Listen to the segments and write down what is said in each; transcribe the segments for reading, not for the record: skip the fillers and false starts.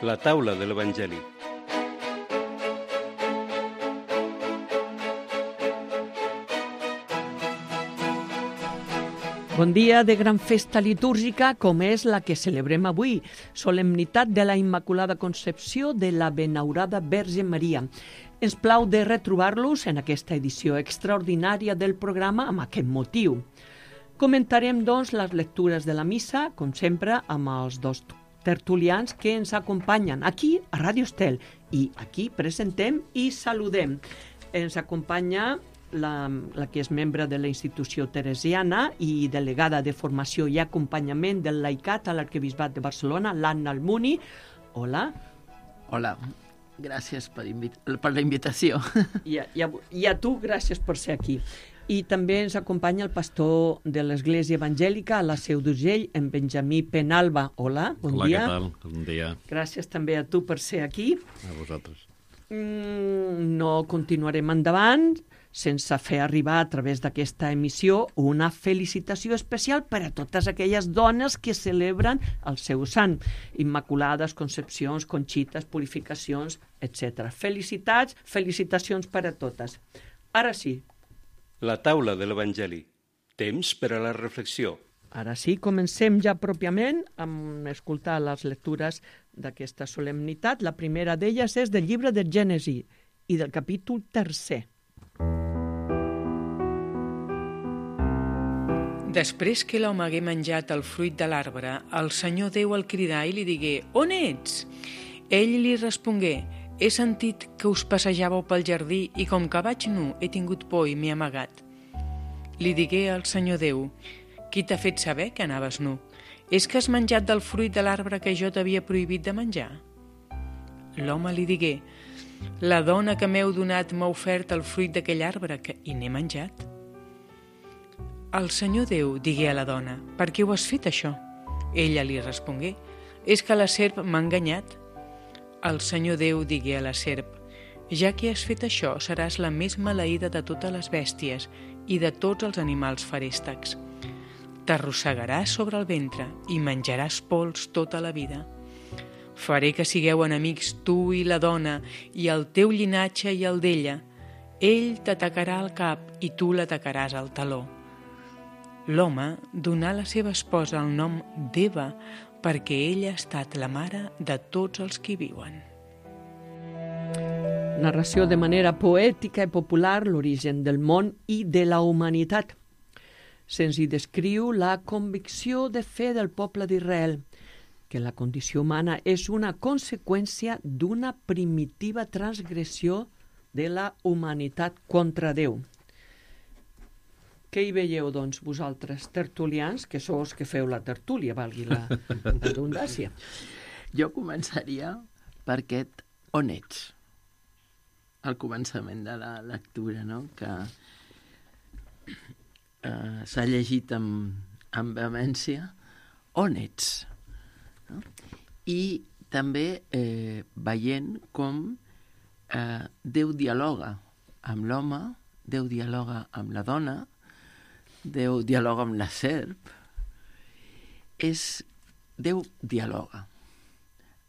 La taula de l'Evangeli. Bon dia de gran festa litúrgica com és la que celebrem avui, solemnitat de la Immaculada Concepció de la Benaurada Verge Maria. Ens plau de retrobar-los en aquesta edició extraordinària del programa amb aquest motiu. Comentarem, doncs, les lectures de la missa, com sempre, amb els dos tertulians que ens acompanyen aquí a Ràdio Estel. I aquí presentem i saludem. Ens acompanya la que és membre de la institució teresiana i delegada de formació i acompanyament del laicat a l'Arquebisbat de Barcelona, l'Anna Almuni. Hola. Hola, gràcies per la invitació. I a tu, gràcies per ser aquí. I també ens acompanya el pastor de l'Església Evangèlica a la Seu d'Urgell, en Benjamí Penalba. Hola, bon dia. Hola, què tal? Bon dia. Gràcies també a tu per ser aquí. A vosaltres. No continuarem endavant sense fer arribar a través d'aquesta emissió una felicitació especial per a totes aquelles dones que celebren el seu sant. Immaculades, Concepcions, Conxites, Purificacions, etc. Felicitats, felicitacions per a totes. Ara sí. La taula de l'Evangeli. Temps per a la reflexió. Ara sí, comencem ja pròpiament amb escoltar les lectures d'aquesta solemnitat. La primera d'elles és del llibre de Gènesi i del capítol 3. Després que l'home hagué menjat el fruit de l'arbre, el Senyor Déu el cridà i li digué: «On ets?» Ell li respongué: «He sentit que us passejàveu pel jardí i com que vaig nu he tingut por i m'he amagat». Li digué al Senyor Déu: «Qui t'ha fet saber que anaves nu? És que has menjat del fruit de l'arbre que jo t'havia prohibit de menjar?» L'home li digué: «La dona que m'heu donat m'ha ofert el fruit d'aquell arbre i n'he menjat». El Senyor Déu digué a la dona: «Per què ho has fet això?» Ella li respongué: «És que la serp m'ha enganyat». El Senyor Déu digué a la serp: «Ja que has fet això, seràs la més maleïda de totes les bèsties i de tots els animals feréstecs. T'arrossegaràs sobre el ventre i menjaràs pols tota la vida. Faré que sigueu enemics tu i la dona, i el teu llinatge i el d'ella. Ell t'atacarà al cap i tu l'atacaràs al taló». L'home donà a la seva esposa el nom d'Eva perquè ella ha estat la mare de tots els que hi viuen. Narració de manera poètica i popular l'origen del món i de la humanitat. Se'ns hi descriu la convicció de fe del poble d'Israel, que la condició humana és una conseqüència d'una primitiva transgressió de la humanitat contra Déu. Què hi veieu, doncs, vosaltres, tertulians, que sou els que feu la tertúlia, valgui la redundància? Jo començaria per aquest «On ets?», al començament de la lectura, no? Que s'ha llegit amb vehemència. On ets? No? I també veient com Déu dialoga amb l'home, Déu dialoga amb la dona, Déu dialoga amb la serp. Déu dialoga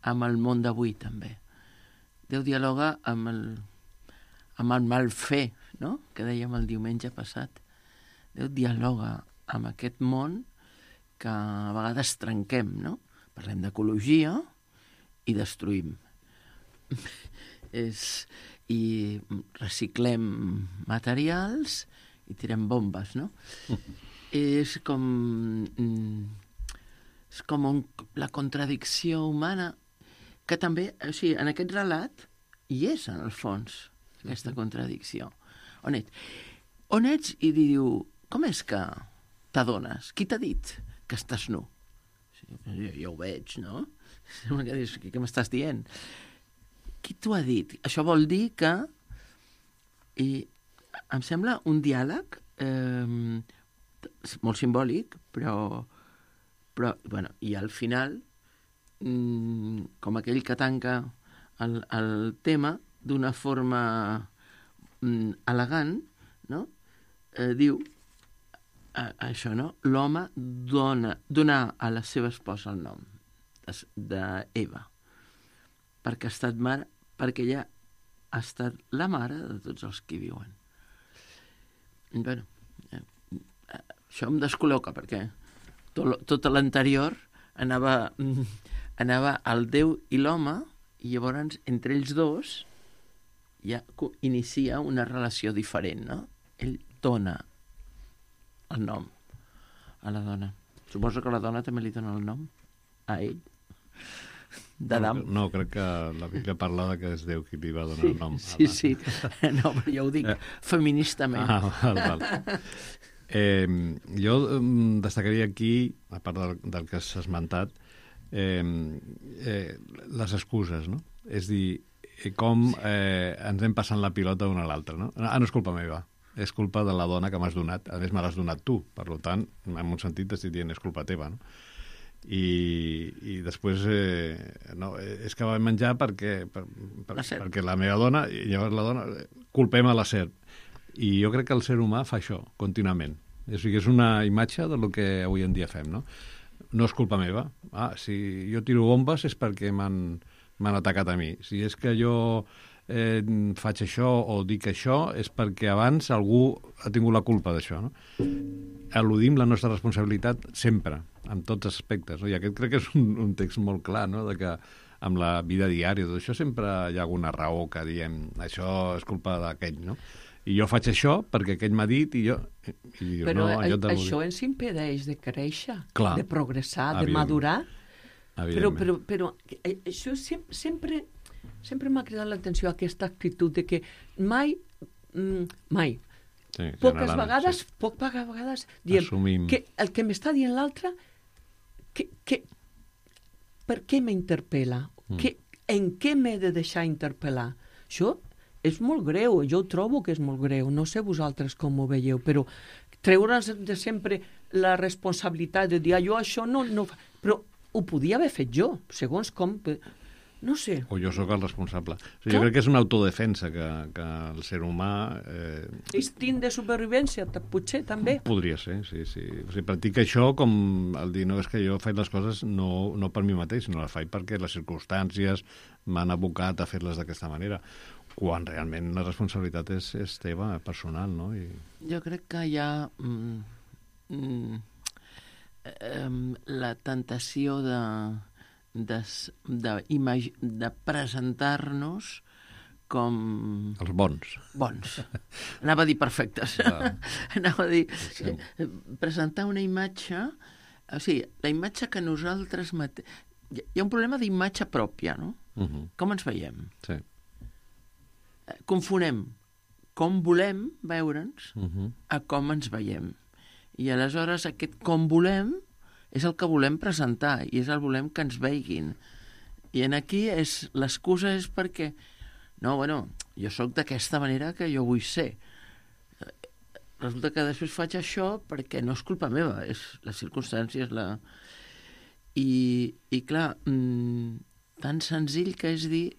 amb el món d'avui, també. Déu dialoga amb el mal fer, no?, que dèiem el diumenge passat. Déu dialoga amb aquest món que a vegades trenquem, no? Parlem d'ecologia i destruïm. I reciclem materials i tirem bombes, no? És com la contradicció humana que també, o sigui, en aquest relat hi és, en el fons, aquesta contradicció. On ets? On ets? I diu, com és que t'adones? Qui t'ha dit que estàs nu? Jo ho veig, no? Sembla que dius, què m'estàs dient? Qui t'ho ha dit? Això vol dir que... I em sembla un diàleg molt simbòlic, però bueno, i al final, com aquell que tanca el tema d'una forma elegant, no? Diu això, no? L'home dona a la seva esposa el nom d'Eva. perquè ha estat mare, perquè ella ha estat la mare de tots els que hi viuen. Bueno, això em descol·loca, perquè tot l'anterior anava al Déu i l'home, i llavors entre ells dos ja inicia una relació diferent, no? Ell dona el nom a la dona. Suposo que la dona també li dona el nom a ell, d'Adam. No, crec que la Bíblia parla que és Déu qui li va donar el nom. Sí. No, però ja ho dic feministament. Val. Jo destacaria aquí, a part del que has esmentat, les excuses, no? És dir, com ens hem passant la pilota d'una a l'altra, no? No és culpa meva, és culpa de la dona que m'has donat. A més, me l'has donat tu, per tant, en un sentit estic dient és culpa teva, no? I després no, és que vam menjar perquè la meva dona, i llavors la dona, culpem a la serp. I jo crec que el ser humà fa això contínuament. És una imatge del que avui en dia fem, no? No és culpa meva. Si jo tiro bombes és perquè m'han atacat a mi. Si és que jo faig això o dic això és perquè abans algú ha tingut la culpa d'això, no? Eludim la nostra responsabilitat sempre, en tots els aspectes, no? I aquest crec que és un text molt clar, no? De que amb la vida diària, tot això sempre hi ha alguna raó que diem això és culpa d'aquell, no? I jo faig això perquè aquell m'ha dit i jo... Però això ens impedeix de créixer, clar, de progressar, de madurar. Però això sempre m'ha cridat l'atenció aquesta actitud de que mai, poques vegades diem que el que m'està dient l'altre, per què m'interpel·la? En què m'he de deixar interpel·lar? Això és molt greu, jo ho trobo que és molt greu, no sé vosaltres com ho veieu, però treure's de sempre la responsabilitat de dir jo això no però ho podia haver fet jo, segons com, no sé. O jo sóc el responsable. Jo crec que és una autodefensa que el ser humà... Instint de supervivència, potser, també. Podria ser, sí. O sigui, practica això com el dir, no, és que jo faig les coses no per mi mateix, sinó les faig perquè les circumstàncies m'han abocat a fer-les d'aquesta manera, quan realment la responsabilitat és teva, personal, no? Jo crec que hi ha la tentació de presentar-nos com... Els bons. Anava a dir perfectes. Anava a dir... Presentar una imatge... O sigui, la imatge que nosaltres... Hi ha un problema d'imatge pròpia, no? Com ens veiem? Sí. Confonem com volem veure'ns a com ens veiem. I aleshores aquest com volem és el que volem presentar i és el volem que ens veiguin. I aquí l'excusa és perquè jo sóc d'aquesta manera que jo vull ser. Resulta que després faig això perquè no és culpa meva, és les circumstàncies, I clar, tan senzill que és dir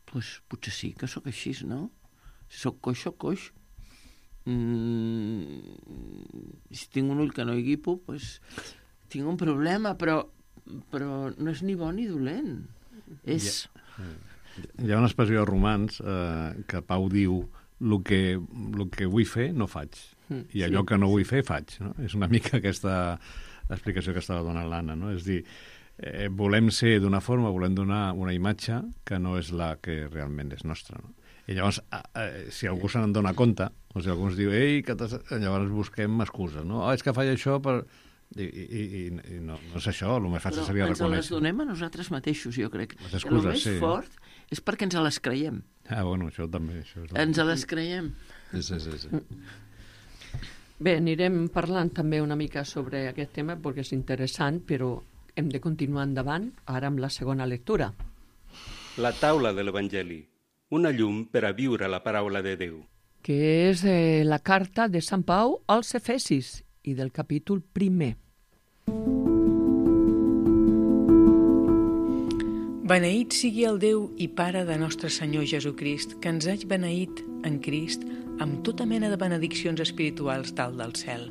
potser sí que sóc així, no? Si sóc coix. Si tinc un ull que no hi guipo, tinc un problema, però no és ni bo ni dolent. Hi ha una expressió de romans que Pau diu el que vull fer no faig, i allò que no vull fer faig, no? És una mica aquesta explicació que estava donant l'Anna, no? És dir, volem ser d'una forma, volem donar una imatge que no és la que realment és nostra, no? I llavors, si algú se n'en dona compte, o si algú ens diu, llavors busquem excuses, no? És que faig això per... I no és això, el més fàcil seria reconèixer. Però ens les donem a nosaltres mateixos, jo crec. Les excuses, el més fort és perquè ens les creiem. Això també. Ens les creiem. Sí. Bé, anirem parlant també una mica sobre aquest tema perquè és interessant, però hem de continuar endavant ara amb la segona lectura. La taula de l'Evangeli, una llum per a viure la paraula de Déu. Que és la carta de Sant Pau als Efesis i del capítol 1. Beneït sigui el Déu i Pare de nostre Senyor Jesucrist, que ens hagi beneït en Crist amb tota mena de benediccions espirituals dalt del cel.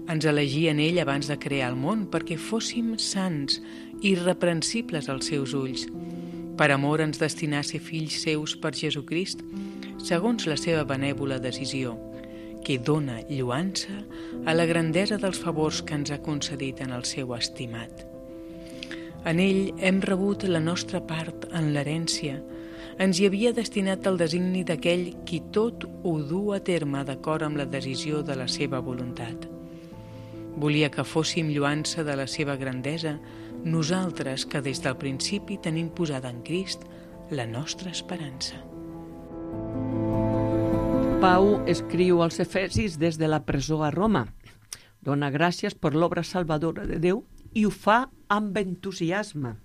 Ens elegí en ell abans de crear el món perquè fóssim sants i irreprensibles als seus ulls. Per amor ens destinà a ser fills seus per Jesucrist, segons la seva benèvola decisió, que dona lluança a la grandesa dels favors que ens ha concedit en el seu estimat. En ell hem rebut la nostra part en l'herència. Ens hi havia destinat el designi d'aquell qui tot ho du a terme d'acord amb la decisió de la seva voluntat. Volia que fóssim lluança de la seva grandesa, nosaltres que des del principi tenim posada en Crist la nostra esperança. Pau escriu als Efesis des de la presó a Roma. Dona gràcies per l'obra salvadora de Déu i ho fa amb entusiasme.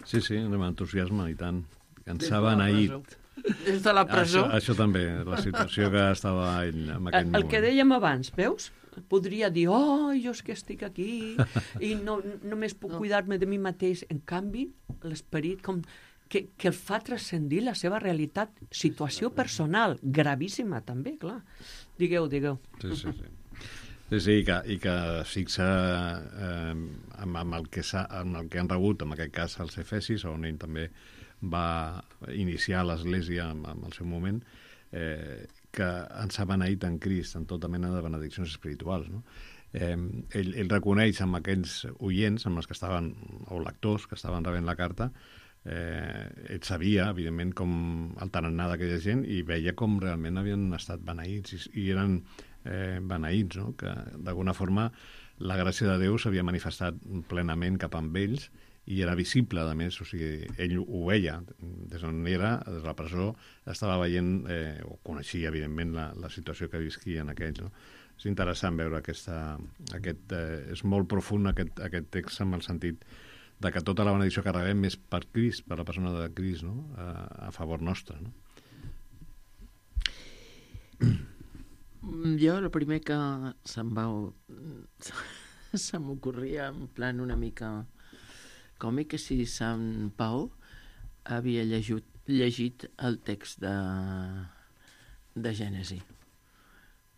Sí, amb entusiasme, i tant. Ens ha beneït. Des de la presó. Això també, la situació que estava ell en aquell moment. El que dèiem abans, veus? Podria dir, jo és que estic aquí i només puc cuidar-me de mi mateix. En canvi, l'esperit com que el fa transcendir la seva realitat, situació personal, gravíssima també, clar. Digueu. Sí, i que fixa amb el que han rebut, en aquest cas els Efesis, on ell també va iniciar l'Església en el seu moment, que ens ha beneït en Crist, en tota mena de benediccions espirituals. No? Ell reconeix amb aquells oients, amb els que estaven, o lectors que estaven rebent la carta, ell sabia, evidentment, com el tarannà d'aquella gent i veia com realment havien estat beneïts i eren beneïts, no? Que d'alguna forma la gràcia de Déu s'havia manifestat plenament cap amb ells i era visible, a més, o sigui, ell ho veia, des d'on era, des de la presó, estava veient, o coneixia, evidentment, la situació que visquien aquells, no? És interessant veure és molt profund aquest text amb el sentit de que tota la benedicció que rebem és per Crist, per la persona de Crist, no? A favor nostre, no? Jo, el primer que se m'ocorria en plan una mica còmic és si Sant Pau havia llegit el text de Gènesi.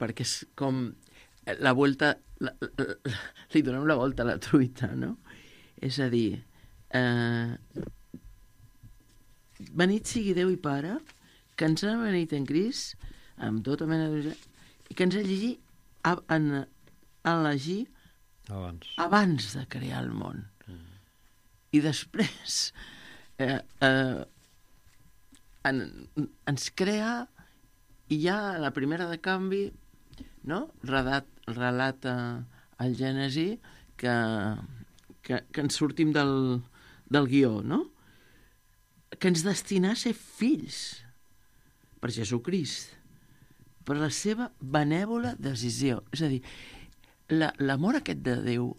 Perquè és com la volta, li donem la volta a la truita, no? És a dir, benit sigui Déu i Pare, que ens ha beneit en Crist, amb tota mena de... i que ens ha elegit abans de crear el món. I després ens crea i ja la primera de canvi, no? Relata el Gènesi que ens sortim del guió, no? Que ens destina a ser fills per Jesucrist, per la seva benèvola decisió. És a dir, l'amor aquest de Déu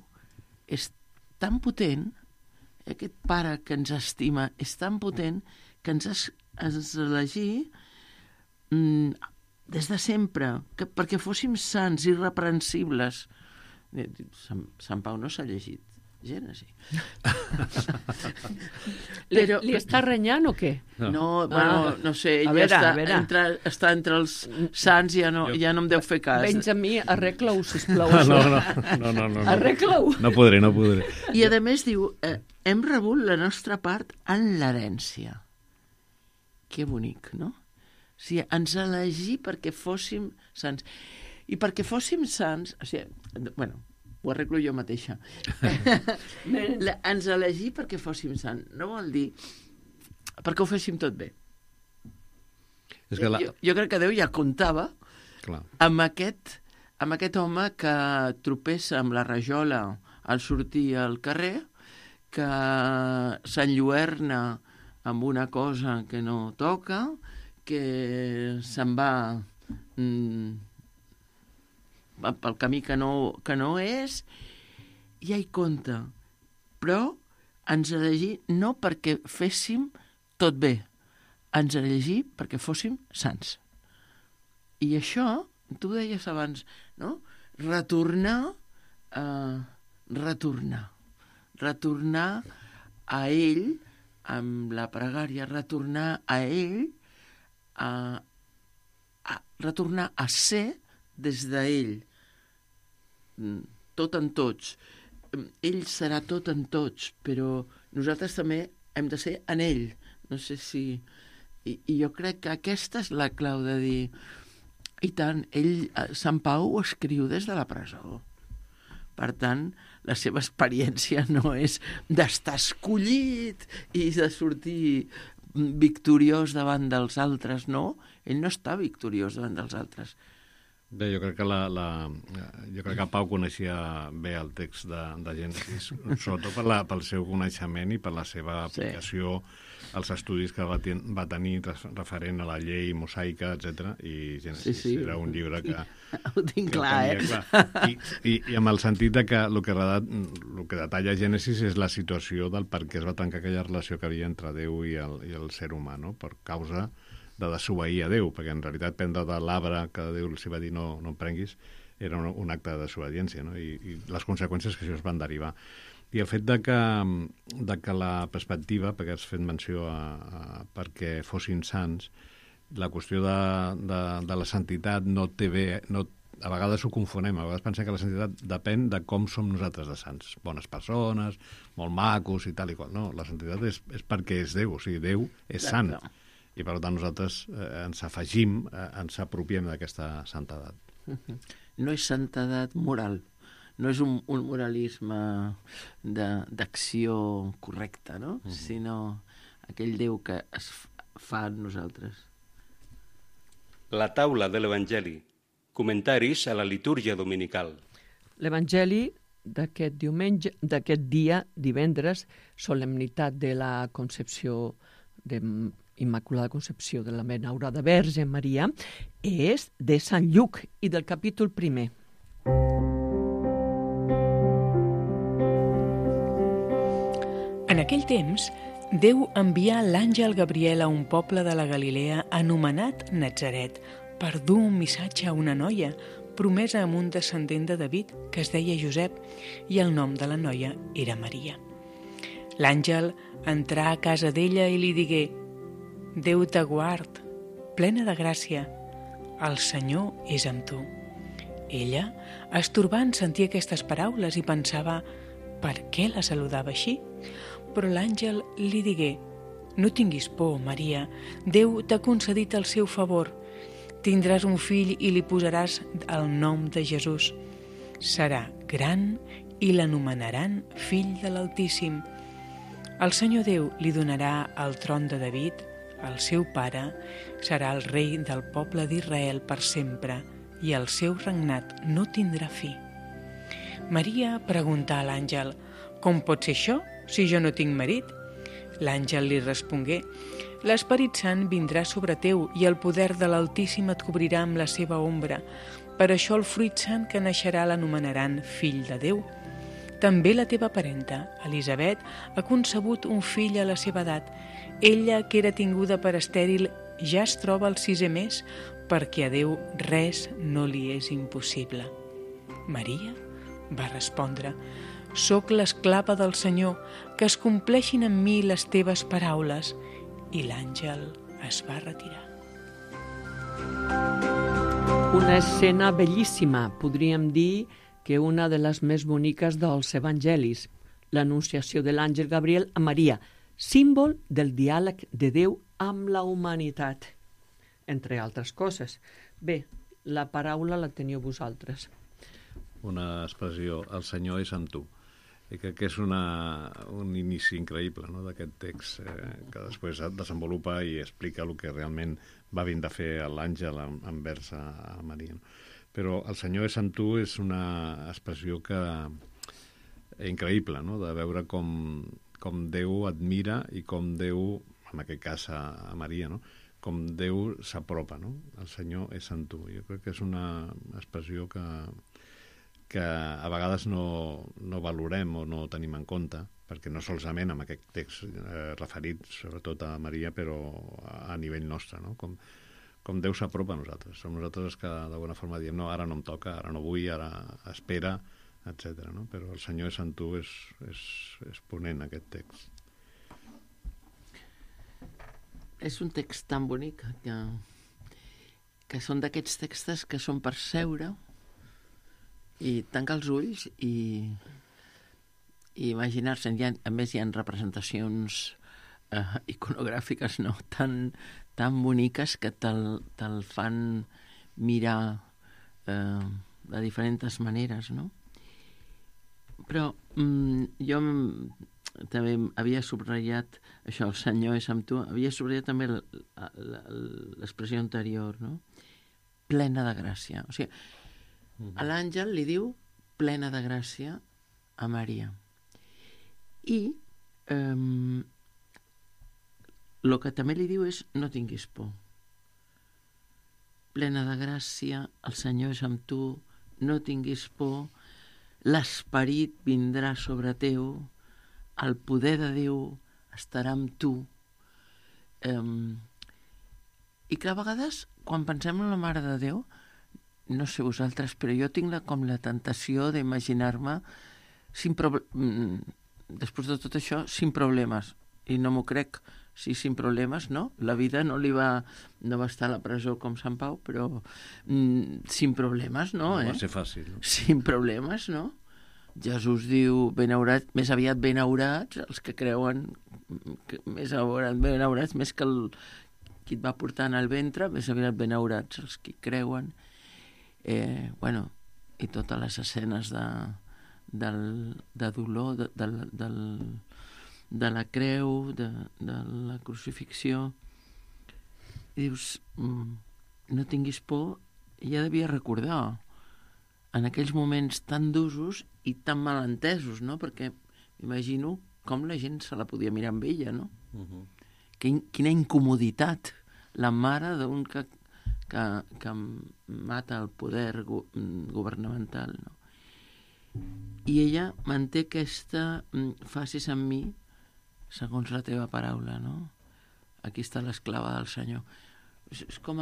és tan potent, aquest Pare que ens estima és tan potent que ens elegí des de sempre, perquè fóssim sants, irreprensibles. Sant Pau no s'ha llegit Gènesi. Però... Li està renyant o què? No, bueno, no sé, ell està entre els sants i ja no em deu fer cas. Benjamí, arregla-ho, sisplau. No. Arregla-ho. No podré. I a més diu, hem rebut la nostra part en l'herència. Que bonic, no? O sigui, ens elegí perquè fóssim sants. I perquè fóssim sants, o sigui, bueno, ho arreglo jo mateixa. Ens elegí perquè fóssim sants. No vol dir perquè ho féssim tot bé. És que jo crec que Déu ja comptava amb aquest home que tropessa amb la rajola al sortir al carrer, que s'enlluerna amb una cosa que no toca, que se'n va pel camí que no és, ja hi compta. Però ens elegí no perquè féssim tot bé, ens elegí perquè fóssim sants. I això, tu deies abans, no? Retornar a ell, amb la pregària, retornar a ell, retornar a ser des d'ell, tot en tots, ell serà tot en tots, però nosaltres també hem de ser en ell. No sé si... I jo crec que aquesta és la clau de dir... I tant, Sant Pau ho escriu des de la presó. Per tant, la seva experiència no és d'estar escollit i de sortir victoriós davant dels altres, no. Ell no està victoriós davant dels altres. Bé, jo crec que jo crec que Pau coneixia bé el text de Gènesis, sobretot pel seu coneixement i per la seva aplicació als estudis que va tenir referent a la llei mosaica, etc. I Gènesis era un llibre que... Ho tinc clar, I amb el sentit de que el que detalla Gènesis és la situació del per què es va tancar aquella relació que havia entre Déu i el ser humà, no? Per causa de desobeir a Déu, perquè en realitat prendre de l'arbre que Déu els va dir no en prenguis era un acte de desobediència, no? I les conseqüències que això es van derivar. I el fet de que la perspectiva, perquè has fet menció perquè fossin sants, la qüestió de la santitat no té bé... A vegades ho confonem, a vegades pensem que la santitat depèn de com som nosaltres de sants. Bones persones, molt macos i tal i qual. No, la santitat és perquè és Déu, o sigui, Déu és sant. I per tant nosaltres ens afegim, ens apropiem d'aquesta santedat. No és santedat moral, no és un moralisme d'acció correcta, no? Sinó aquell Déu que es fa en nosaltres. La taula de l'Evangeli. Comentaris a la litúrgia dominical. L'Evangeli d'aquest dia, divendres, solemnitat de la Concepció de Immaculada Concepció de la Benaurada Verge Maria, és de Sant Lluc i del capítol 1. En aquell temps, Déu envià l'àngel Gabriel a un poble de la Galilea anomenat Natzaret per dur un missatge a una noia promesa amb un descendent de David que es deia Josep i el nom de la noia era Maria. L'àngel entrà a casa d'ella i li digué: Déu t'aguard, plena de gràcia, el Senyor és amb tu. Ella, estorbant, sentia aquestes paraules i pensava per què la saludava així. Però l'àngel li digué: No tinguis por, Maria, Déu t'ha concedit el seu favor. Tindràs un fill i li posaràs el nom de Jesús. Serà gran i l'anomenaran Fill de l'Altíssim. El Senyor Déu li donarà el tron de David, el seu pare, serà el rei del poble d'Israel per sempre i el seu regnat no tindrà fi. Maria preguntà a l'àngel: Com pot ser això, si jo no tinc marit? L'àngel li respongué: L'Esperit Sant vindrà sobre teu i el poder de l'Altíssim et cobrirà amb la seva ombra. Per això el fruit sant que naixerà l'anomenaran Fill de Déu. També la teva parenta, Elisabet, ha concebut un fill a la seva edat. Ella, que era tinguda per estèril, ja es troba al 6è mes, perquè a Déu res no li és impossible. Maria va respondre: Soc l'esclava del Senyor, que es compleixin en mi les teves paraules. I l'àngel es va retirar. Una escena bellíssima, podríem dir que una de les més boniques dels evangelis, l'anunciació de l'àngel Gabriel a Maria, símbol del diàleg de Déu amb la humanitat, entre altres coses. Bé, la paraula la teniu vosaltres. Una expressió: el Senyor és amb tu. I crec que és un inici increïble, no?, d'aquest text que després desenvolupa i explica el que realment va vindre a fer l'àngel envers a Maria. Però el Senyor és amb tu és una expressió increïble, no?, de veure com Déu admira i com Déu, en aquest cas a Maria, no?, com Déu s'apropa, no? El Senyor és amb tu. Jo crec que és una expressió que a vegades no valorem o no tenim en compte, perquè no solament amb aquest text referit sobretot a Maria, però a nivell nostre, no? Com Déu s'apropa a nosaltres. Som nosaltres els que d'alguna forma diem: no, ara no em toca, ara no vull, ara espera, etc. No? Però el Senyor és amb tu és ponent, aquest text. És un text tan bonic que són d'aquests textos que són per seure i tancar els ulls i i imaginar-se, a més hi ha representacions iconogràfiques tan boniques que te'l fan mirar de diferents maneres, no? Però jo també havia subratllat això, el Senyor és amb tu, havia subratllat també l'expressió anterior, no? Plena de gràcia. O sigui, a l'àngel li diu plena de gràcia a Maria. I el que també li diu és no tinguis por. Plena de gràcia, el Senyor és amb tu, no tinguis por, l'esperit vindrà sobre teu, el poder de Déu estarà amb tu. I que a vegades, quan pensem en la Mare de Déu, no sé vosaltres, però jo tinc com la tentació d'imaginar-me després de tot això, sin problemes. I no m'ho crec, sin problemes, no? La vida no va estar a la presó com Sant Pau, però sin problemes, no? No va ser fàcil. No? Sin problemes, no? Jesús diu, més aviat benaurats, els que creuen, benaurats, més que qui et va portar en el ventre, més aviat benaurats els que creuen. I totes les escenes de dolor, de la creu, de la crucifixió. I dius, no tinguis por, ja devia recordar en aquells moments tan d'usos i tan malentesos, no? Perquè m'imagino com la gent se la podia mirar amb ella, no? Quina incomoditat, la mare d'un que mata el poder governamental, no? I ella manté aquesta facis amb mi segons la teva paraula, no? Aquí està l'esclava del Senyor. És com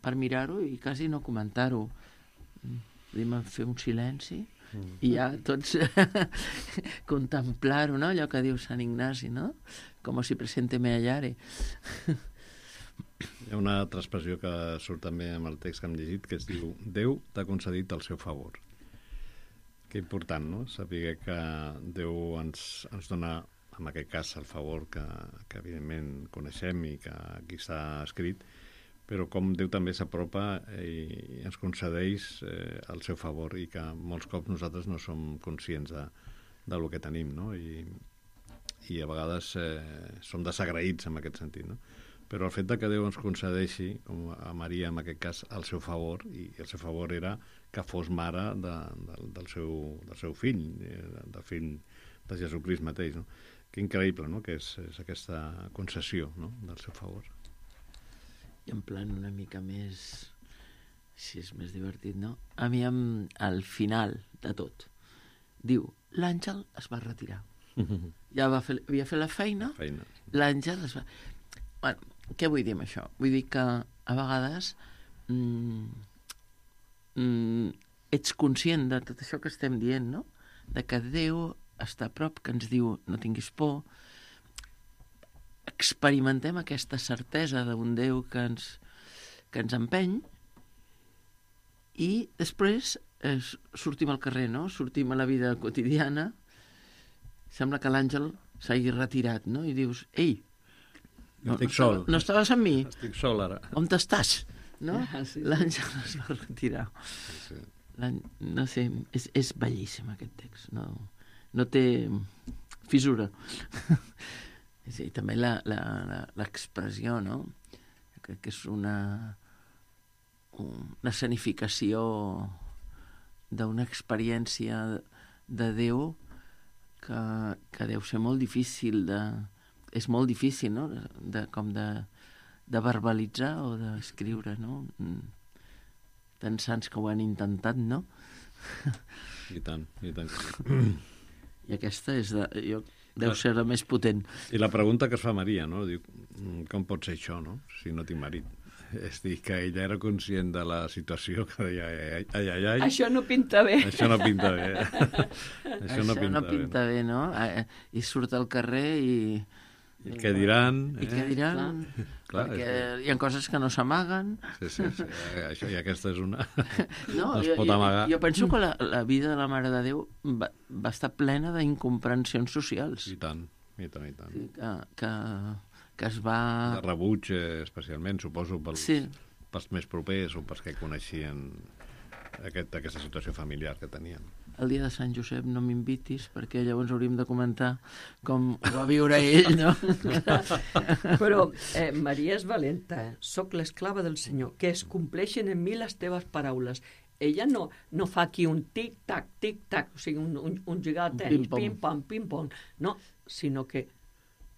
per mirar-ho i quasi no comentar-ho. Podem fer un silenci i ja tots contemplar-ho, no? Allò que diu Sant Ignasi, no? Com si presente me hallare. Hi ha una altra expressió que surt també amb el text que hem llegit, que es diu Déu t'ha concedit el seu favor. Que important, no? Saber que Déu ens dona, en aquest cas, el favor que evidentment coneixem i que aquí està escrit, però com Déu també s'apropa i ens concedeix el seu favor i que molts cops nosaltres no som conscients del que tenim, no? I a vegades som desagraïts en aquest sentit, no? Però el fet que Déu ens concedeixi, com a Maria en aquest cas, el seu favor, i el seu favor era que fos mare del seu fill, del fill de Jesucrist mateix, no? Que increïble, no?, que és aquesta concessió, no?, del seu favor. I en plan una mica més, si és més divertit, no? A mi al final de tot diu, l'àngel es va retirar. Ja havia fet la feina. L'àngel es va... Bueno, què vull dir amb això? Vull dir que a vegades ets conscient de tot això que estem dient, no? De que Déu està a prop, que ens diu no tinguis por. Experimentem aquesta certesa d'un Déu que ens empeny i després sortim al carrer, no? Sortim a la vida quotidiana, sembla que l'àngel s'hagi retirat, no? I dius, ei, estic sol. No estaves amb mi? Estic sol ara. On t'estàs? No? Sí. L'àngel es va retirar. Sí. No sé, és bellíssim aquest text, no té fissura. Sí, també l'expressió, no? Crec que és una escenificació d'una experiència de Déu que deu ser molt difícil és molt difícil, no?, de verbalitzar o d'escriure, no? Tants sants que ho han intentat, no? I tant, i tant. I aquesta deu ser la més potent. I la pregunta que es fa Maria, no? Diu, com pot ser això, no?, si no tinc marit. És dir, que ella era conscient de la situació, que deia, ai. Això no pinta bé. Això no pinta bé. Això no pinta bé, no? I surt al carrer i I què diran? I què diran? Clar, perquè hi ha coses que no s'amaguen. Sí. Això, i aquesta és una... No, es pot amagar. jo penso que la vida de la Mare de Déu va estar plena d'incomprensions socials. I tant. Que es va... De rebuig, especialment, suposo, pels més propers o pels que coneixien aquesta situació familiar que tenien. El dia de Sant Josep no m'invitis, perquè llavors hauríem de comentar com ho va viure ell, no? Però Maria és valenta, Soc l'esclava del Senyor, que es compleixen en mi les teves paraules. Ella no fa aquí un tic-tac, o sigui, un jugar a tenis, pim-pam, pim-pam, no, sinó que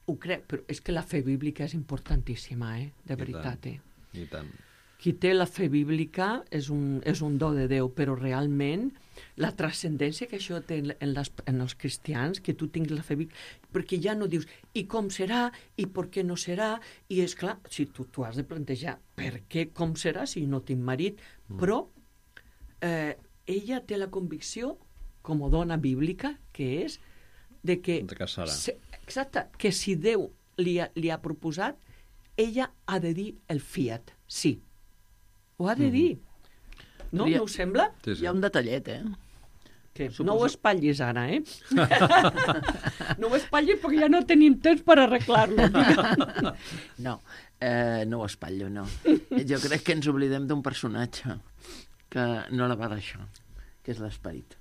ho crec, però és que la fe bíblica és importantíssima, de veritat. I tant. Qui té la fe bíblica és un do de Déu, però realment la transcendència que això té en els cristians, que tu tinguis la fe bíblica, perquè ja no dius i com serà, i per què no serà, i és clar, si tu has de plantejar per què, com serà, si no tinc marit, però ella té la convicció, com a dona bíblica, que és de que... De casarà. Exacte, que si Déu li ha proposat, ella ha de dir el fiat, sí. Ho ha de dir. No us sembla? Sí. Hi ha un detallet, Que no ho espatllis ara, No ho espatllis perquè ja no tenim temps per arreglar-lo. No ho espatllo, no. Jo crec que ens oblidem d'un personatge que no la va deixar, que és l'esperit.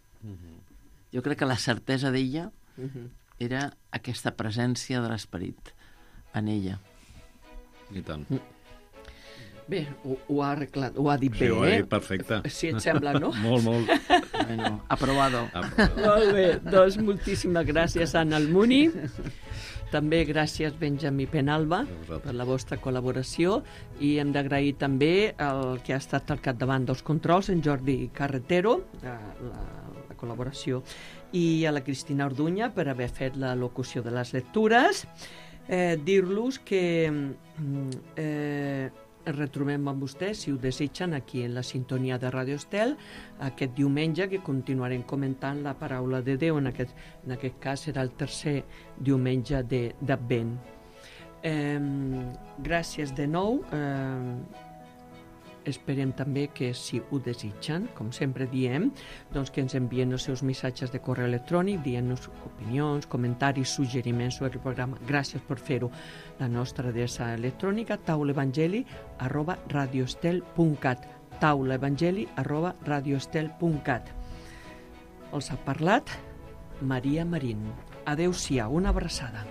Jo crec que la certesa d'ella era aquesta presència de l'esperit en ella. I tant. Bé, ho ha arreglat, ho ha dit bé, ho ha dit perfecte. Si et sembla, no? Molt. Bueno, aprobado. Molt bé, doncs moltíssimes gràcies, Anna Almuni. També gràcies, Benjamí Penalba, per la vostra col·laboració, i hem d'agrair també el que ha estat al capdavant dels controls, en Jordi Carretero, la col·laboració, i a la Cristina Orduña per haver fet la locució de les lectures. Dir-los que retrobem amb vostès, si ho desitgen, aquí en la sintonia de Radio Estel, aquest diumenge, que continuarem comentant la paraula de Déu. En aquest cas serà el tercer diumenge d'Advent. Gràcies de nou. Esperem també que, si ho desitgen, com sempre diem, doncs que ens envien els seus missatges de correu electrònic, dient-nos opinions, comentaris, suggeriments sobre el programa. Gràcies per fer-ho. La nostra adreça electrònica, taulaevangeli@radioestel.cat, taulaevangeli@radioestel.cat. Els ha parlat Maria Marín. Adéu-siau, una abraçada.